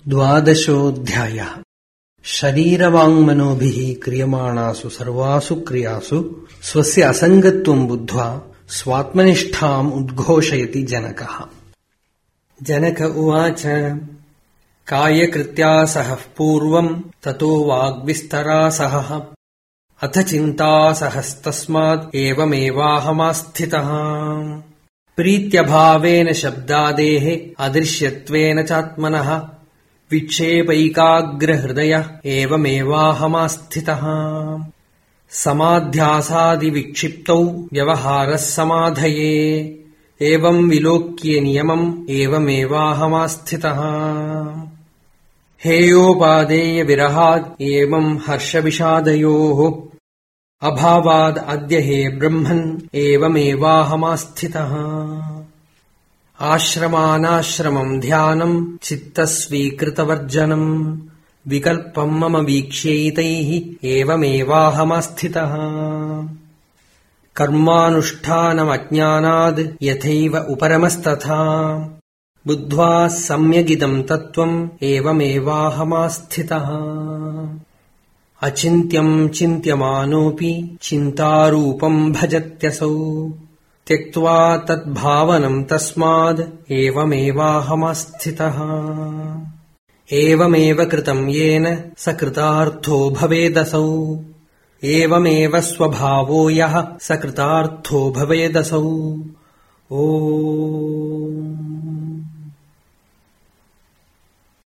द्वादशोऽध्यायः। शरीरवाङ्मनोभिः क्रियमाणासु सर्वासु क्रियासु स्वस्य असङ्गत्वं बुद्ध्वा स्वात्मनिष्ठाम् उद्घोषयति जनकः। जनक उवाच। कायकृत्या सहः पूर्वम् ततो वाग्विस्तरा सहः अथ चिन्ता सहस्तस्मात् एवमेवाहमास्थितः। प्रीत्यभावेन शब्दादेः अदृश्यत्वेन चात्मनः विक्षेपैकाग्रहृदय एवमेवाहमास्थितः। समाध्यासादिविक्षिप्तौ व्यवहारः समाधये एवं विलोक्ये नियमम् एवमेवाहमास्थितः। हेयोपादेय विरहाद् एवं हर्षविषादयोः अभावाद् अद्य हे ब्रह्मन् एवमेवाहमास्थितः। आश्रमानाश्रमम् ध्यानम् चित्तस्वीकृतवर्जनम् विकल्पम् मम वीक्ष्यैतैः एवमेवाहमास्थितः। कर्मानुष्ठानमज्ञानाद् यथैव उपरमस्तथा बुद्ध्वा सम्यगिदम् तत्त्वम् एवमेवाहमास्थितः। अचिन्त्यम् चिन्त्यमानोऽपि चिन्तारूपम् भजत्यसौ त्यक्त्वा तद्भावनम् तस्माद् एवमेवाहमास्थितः। एवमेव कृतम् येन स कृतार्थो भवेदसौ एवमेव स्वभावो यः स कृतार्थो भवेदसौ। ओम्।